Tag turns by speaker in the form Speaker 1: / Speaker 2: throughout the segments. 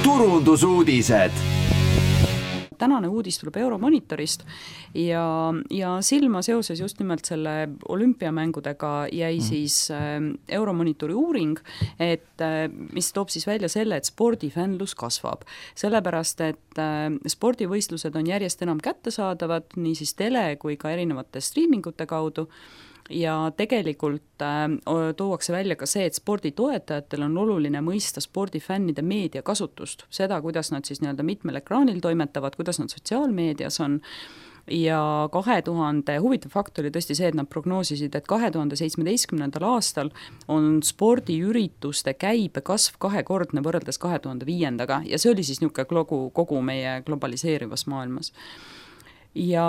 Speaker 1: turundusuudised.
Speaker 2: Tänane uudis tuleb Euromonitorist ja silma seoses just nimelt selle olümpiamängudega jäi siis Euromonitori uuring, mis toob siis välja selle, et spordifännlus kasvab. Sellepärast, et spordivõistlused on järjest enam kättesaadavad nii siis tele kui ka erinevate streamingute kaudu. Ja tegelikult tuuakse välja ka see, et sporditoetajatel on oluline mõista spordifännide meediakasutust, seda, kuidas nad siis nii-öelda mitmel ekraanil toimetavad, kuidas nad sotsiaalmeedias on. Ja huvitav fakt oli tõesti see, et nad prognoosisid, et 2017. aastal on spordiürituste käibe kasv 2-kordne võrreldes 2005. Ja see oli siis niisugune kogu meie globaliseerivas maailmas. Ja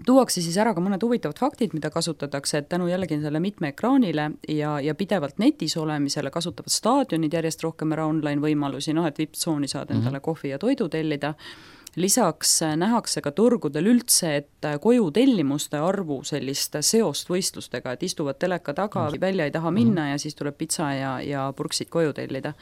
Speaker 2: tuuakse siis ära ka mõned huvitavad faktid, mida kasutatakse, et tänu jällegi selle mitme ekraanile ja pidevalt netis olemisele kasutavad staadionid järjest rohkem ära online võimalusi, et VIP-tsooni saad endale kohvi ja toidu tellida. Lisaks nähakse ka turgudel üldse, et koju tellimuste arvu sellist seost võistlustega, et istuvad teleka taga, välja ei taha minna ja siis tuleb pitsa ja purksid koju tellida.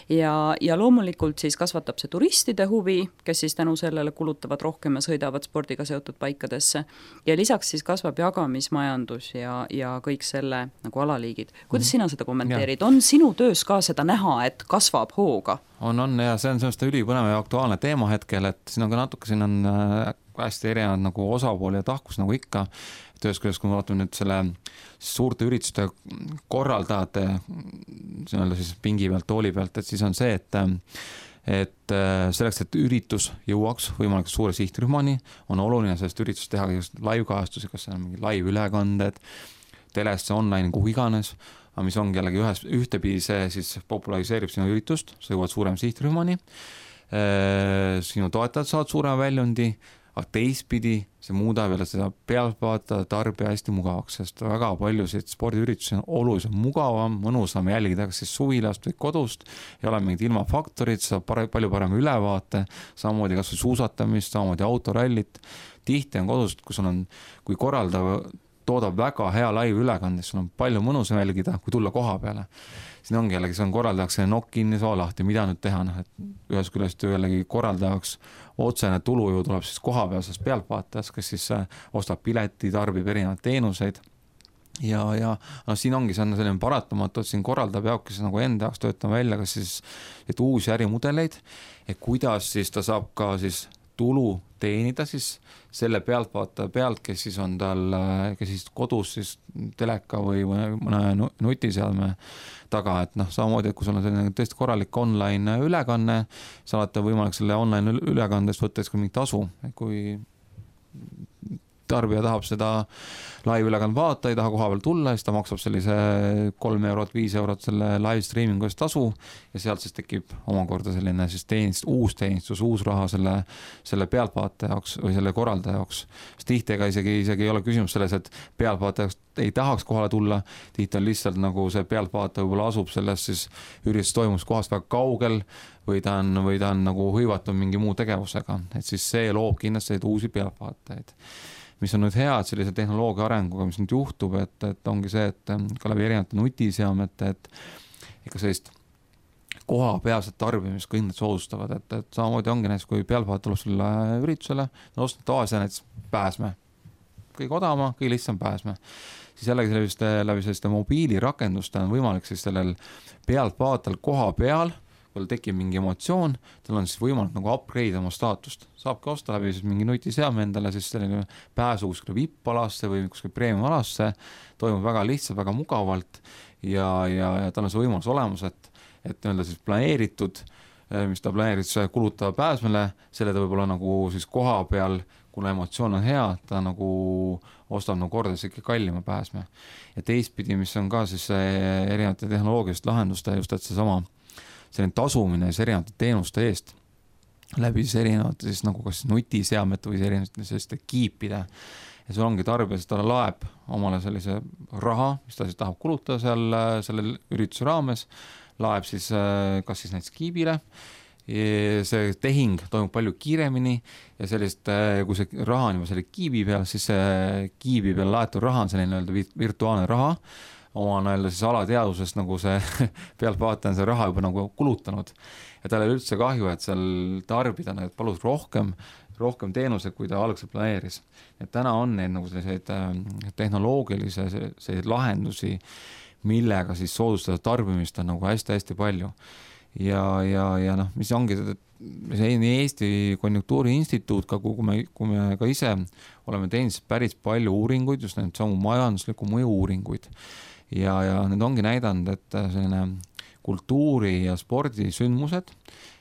Speaker 2: Ja loomulikult siis kasvatab see turistide huvi, kes siis tänu sellele kulutavad rohkem ja sõidavad spordiga seotud paikadesse. Ja lisaks siis kasvab jagamismajandus ja kõik selle nagu alaliigid. Kuidas sina seda kommenteerid? On sinu töös ka seda näha, et kasvab hooga?
Speaker 3: On ja see on sellist ülipõnev ja aktuaalne teema hetkel, et siin on ka natuke, siin on hästi erinevad nagu osapooli ja tahkus nagu ikka. Töös küljest, kui me vaatame nüüd selle suurte ürituste korraldajate siis pingi pealt, tooli pealt, et siis on see, et selleks, et üritus jõuaks võimalikult suure sihtrühmani, on oluline sellest üritust teha live-kajastusi, kas see on mingi live-ülekanded, telesse, online, kuhu iganes, aga mis ongi jällegi ühtepidi see siis populariseerib sinu üritust, sa jõuad suurem sihtrühmani, sinu toetajad saavad suurema väljundi, aga teistpidi see muudab jälle seda pealtvaatajat tarbija hästi mugavaks, sest väga paljusid spordiüritusi on oluliselt mugavam, mõnusam jälgida kas siis suvilast või kodust, ei ole mingid ilmafaktorid, saab palju parem ülevaate, samamoodi kas või suusatamist, samamoodi autorallit. Tihti on kodust, kui korraldav toodab väga hea live ülekandis, sul on palju mõnusam jälgida, kui tulla koha peale. Siin ongi jällegi, see on korraldajaks nokk kinni soo lahti, mida nüüd teha, et ühes küljest jällegi korraldajaks otsene tulu ju tuleb siis koha peal sellest pealtvaatajast, kes siis ostab pileti, tarbib erinevaid teenuseid ja siin ongi, see on selline paratamatu, et siin korraldab jaoks kes nagu enda jaoks töötama välja, kas siis uusi ärimudeleid, et kuidas siis ta saab ka siis tulu teenida siis selle pealtvaataja pealt, kes siis on tal, kes siis kodus siis teleka või mõne nutiseadme taga, et samamoodi, et kui sul on selline tõesti korralik online ülekanne, sa olete võimalik selle online ülekandest võttes ka mingi tasu, kui tarbija tahab seda live ülekand vaata, ei taha koha peal tulla, siis ta maksab sellise 3 eurot, 5 eurot selle live streamingu eest tasu ja sealt siis tekib omakorda selline siis uus teenistus, uus raha selle pealtvaataja jaoks või selle korraldaja jaoks. Sest tihti isegi ei ole küsimus selles, et pealtvaataja ei tahaks kohale tulla, tihti on lihtsalt nagu see pealtvaataja võib-olla asub sellest siis üritus toimus kohast väga kaugel või ta on nagu hõivatud mingi muu tegevusega, et siis see loob kindlasti uusi pealtvaatajaid. Mis on nüüd hea, et sellise tehnoloogia arenguga, mis nüüd juhtub, et ongi see, et ka läbi erinevate nutiseadmete, et ikka sellist koha pealset tarbimist kõik need soodustavad, et samamoodi ongi näiteks, kui pealtvaat tuleb selle üritusele, ostnud tavalise näiteks pääsme, kõige odavama, kõige lihtsam pääsme, siis jällegi läbi selliste mobiilirakenduste on võimalik siis sellel pealtvaatal koha peal, kui tekib mingi emotsioon, tal on siis võimalik nagu upgrade oma staatust. Saabki osta läbi siis mingi nutiseadme endale siis selline pääsu kuskile VIP-alasse või kuskile premium-alasse, toimub väga lihtsalt, väga mugavalt ja tal on see võimalus olemas, et öelda siis planeeritud, mis ta planeeris kulutada pääsmele, selle ta võib-olla nagu siis koha peal, kuna emotsioon on hea, ta nagu ostab nagu kordades ikka kallima pääsme. Ja teistpidi, mis on ka siis erinevate tehnoloogilist lahenduste just, et seesama selline tasumine erinevate teenuste eest läbi siis erinevate siis nagu kas nutiseadmete või erinevate selliste kiipide. Ja sul ongi tarbija, sest ta laeb omale sellise raha, mis ta siis tahab kulutada selle ürituse raames, laeb siis kas siis näiteks kiibile. See tehing toimub palju kiiremini ja sellist, kui see raha on juba selle kiibi peal, siis see kiibi peal laetud raha on selline virtuaalne raha, oma näile siis alateadusest nagu see pealtvaataja on see raha juba nagu kulutanud ja tal ei üldse kahju, et seal tarbida need palus rohkem teenuseid, kui ta algselt planeeris. Et täna on neid nagu selliseid tehnoloogilisi selliseid lahendusi, millega siis soodustada tarbimist on nagu hästi-hästi palju. Ja noh, mis ongi nii Eesti Konjunktuuriinstituut, ka kui me ka ise oleme teinud päris palju uuringuid, just need samu majandusliku mõju uuringuid. Ja need ongi näidanud, et selline kultuuri- ja spordisündmused,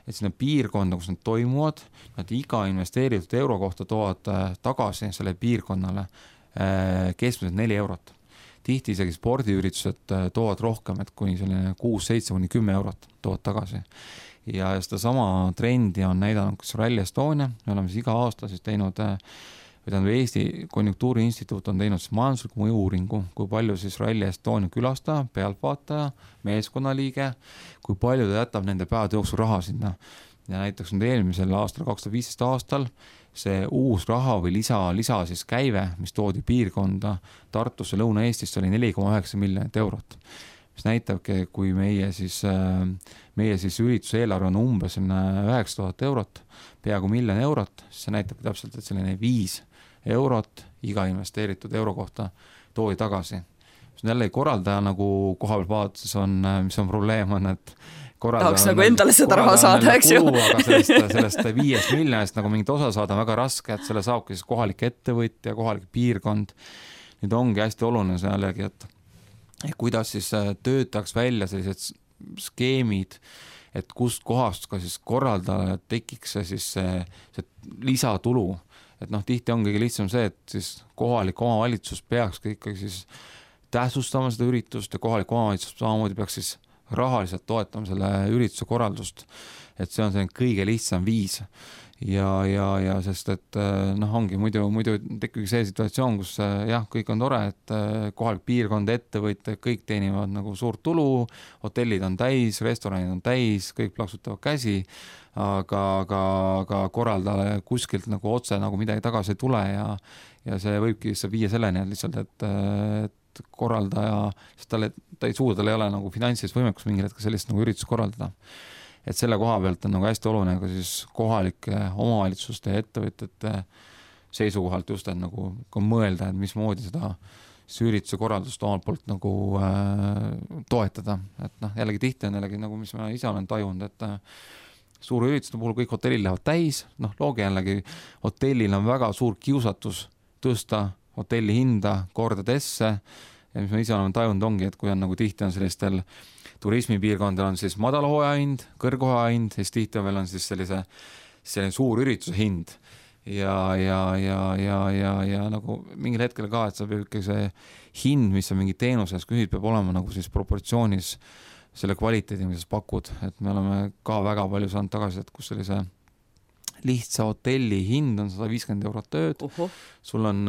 Speaker 3: et sinna piirkonda, kus need toimuvad, nad iga investeeritud euro kohta toovad tagasi selle piirkonnale keskmiselt 4 eurot. Tihti isegi spordiüritused toovad rohkem, et kuni selline 6-7-10 eurot toovad tagasi. Ja seda sama trendi on näidanud kas Rally Estonia, me oleme siis iga aasta siis teinud, Eesti Konjunktuuriinstituut on teinud siis majandusliku mõju uuringu, kui palju siis Rally Estonia külastaja, pealtvaataja, meeskonnaliige, kui palju ta jätab nende päevade jooksul raha sinna. Ja näiteks nüüd eelmisel aastal, 2015 aastal, see uus raha või lisa siis käive, mis toodi piirkonda Tartusse Lõuna-Eestist, oli 4,9 miljonit eurot. Mis näitabki, kui meie siis ürituse eelarve on umbes 9000 eurot, peaaegu 1 miljon eurot, siis see näitab täpselt, et selline 5 eurot iga investeeritud euro kohta toodi tagasi. Jälle korraldaja nagu koha peal vaadates on, mis on probleem on, et
Speaker 2: tahaks nagu endale seda raha saada, eks ju.
Speaker 3: Aga sellest 5 miljonist nagu mingit osa saada on väga raske, et selle saabki siis kohalik ettevõtja, kohalik piirkond. Nüüd ongi hästi oluline see jällegi, et kuidas siis töötaks välja sellised skeemid, et kust kohast ka siis korraldajale tekiks see lisatulu. Et noh, tihti on kõige lihtsam see, et siis kohalik omavalitsus peaks ikkagi siis tähtsustama seda üritust ja kohalik omavalitsus samamoodi peaks siis rahaliselt toetama selle ürituse korraldust. Et see on selline kõige lihtsam viis. Ja sest, et noh, ongi muidu tekib see situatsioon, kus jah, kõik on tore, et kohalik piirkond, ettevõtjad, kõik teenivad nagu suurt tulu, hotellid on täis, restoranid on täis, kõik plaksutavad käsi, aga korraldajale kuskilt nagu otse nagu midagi tagasi ei tule ja see võibki viia selleni, et lihtsalt, et korraldaja, sest ta ei suuda, tal ei ole nagu finantsilist võimekus mingil hetkel sellist nagu üritust korraldada. Et selle koha pealt on nagu hästi oluline ka siis kohalike omavalitsuste ja ettevõtjate seisukohalt just, et nagu mõelda, et mismoodi seda ürituse korraldust omalt poolt nagu toetada. Et noh, jällegi tihti on jällegi nagu, mis ma ise olen tajunud, et suure ürituste puhul kõik hotellid lähevad täis, noh, loogi jällegi hotellil on väga suur kiusatus tõsta hotelli hinda kordadesse ja mis ma ise olen tajunud ongi, et kui on nagu tihti on sellistel turismipiirkondadel on siis madalhooaja hind, kõrghoaja hind, siis tihti veel on siis selline suur ürituse hind ja nagu mingil hetkel ka, et sa peab ikka see hind, mis on mingi teenuses küsid, peab olema nagu siis proportsioonis selle kvaliteedi, mis sa pakud, et me oleme ka väga palju saanud tagasi, et kus sellise lihtsa hotelli hind on 150 eurot tööd, sul on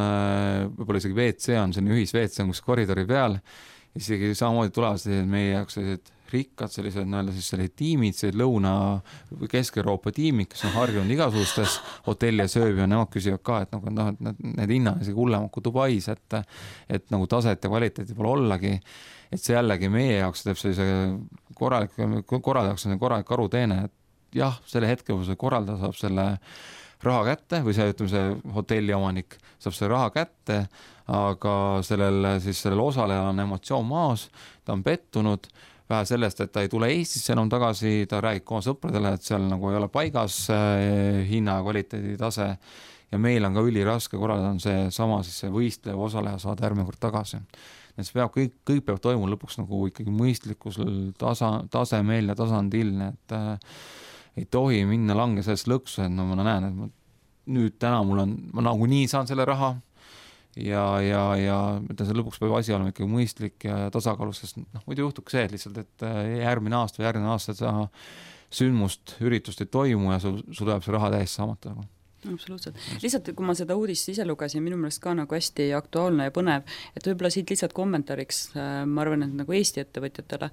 Speaker 3: võib-olla isegi WC on selline ühis-WC on kus koridori peal, isegi samamoodi tulevad meie jaoks sellised rikkad sellised tiimid, sellised Lõuna- või Kesk-Euroopa tiimid, kes on harjunud igasugustes hotelli ja sööbi ja nemad küsivad ka, et need hinnad isegi hullemad kui Dubais, et nagu taset ja kvaliteeti pole ollagi, et see jällegi meie jaoks teeb sellise korraldajaks on korralik aruteene, et jah, selle hetke, kui see korraldaja saab selle raha kätte või see hotelli omanik saab selle raha kätte, aga sellel osalejal on emotsioon maas, ta on pettunud, vähe sellest, et ta ei tule Eestisse enam tagasi, ta räägib oma sõpradele, et seal nagu ei ole paigas hinna ja kvaliteedi tase ja meil on ka üliraske korraldada on see sama siis see võistlev osaleja saada järgmine kord tagasi. Et see peab, kõik peab toimuma lõpuks nagu ikkagi mõistlikusel tasemel ja tasandil, et ei tohi minna lange sellest lõksu, et no ma näen, et nüüd täna ma nagu nii saan selle raha ja see lõpuks peab asi olema ikkagi mõistlik ja tasakaalus, sest muidu juhtubki see, et lihtsalt, et järgmine aasta seda sündmust, üritust ei toimu ja sul tuleb see raha täiesti saamata.
Speaker 2: Absoluutselt. Lihtsalt, kui ma seda uudist ise lugesin, minu meelest ka nagu hästi aktuaalne ja põnev, et võib-olla siit lihtsalt kommentaariks, ma arvan, et nagu Eesti ettevõtjatele,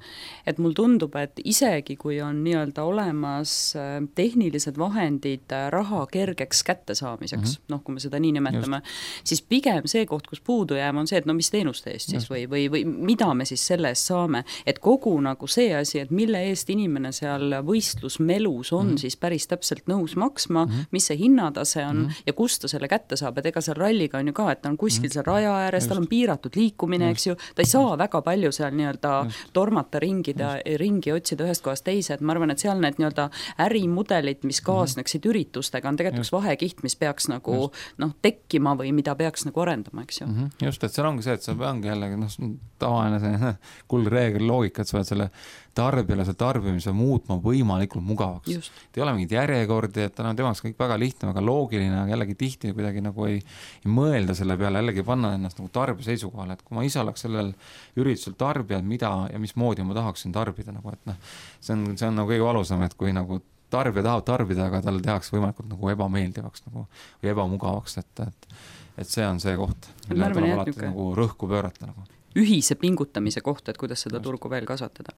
Speaker 2: et mul tundub, et isegi kui on nii-öelda olemas tehnilised vahendid raha kergeks kättesaamiseks, noh, kui me seda nii nimetame, siis pigem see koht, kus puudu jääma, on see, et no mis teenuste eest siis või mida me siis selle eest saame, et kogu nagu see asi, et mille eest inimene seal võistlusmelus on siis päris täpselt nõus maksma, mis see hinnatase on ja kust ta selle kätte saab, et ega seal ralliga on ju ka, et ta on kuskil seal raja ääres, tal on piiratud liikumine, eks ju, ta ei saa väga palju seal nii-öelda tormata ringi otsida ühest kohast teise, et ma arvan, et seal need nii-öelda ärimudelid, mis kaasneksid üritustega, on tegelikult üks vahekiht, mis peaks nagu tekkima või mida peaks nagu arendama, eks ju.
Speaker 3: Just, et seal ongi see, et sa peangi jällegi tavaline see kuldreegel loogika, et sa pead selle tarbijale see tarbimise muutma võimalikult mugavaks. Et ei ole mingit järjekordi, et temaks kõik väga lihtne, väga loogiline, aga jällegi tihti kuidagi nagu ei mõelda selle peale, jällegi panna ennast nagu tarbija seisukohale, et kui ma ise oleks sellel üritusel tarbijad, mida ja mismoodi ma tahaksin tarbida, nagu, et see on nagu kõige valusam, et kui nagu tarbija tahab tarbida, aga talle tehakse võimalikult nagu ebameeldivaks nagu, või ebamugavaks, et see on see koht, mille tuleb alati nagu rõhku pöörata nagu.
Speaker 2: Ühise pingutamise koht, et kuidas seda turgu veel kasvatada.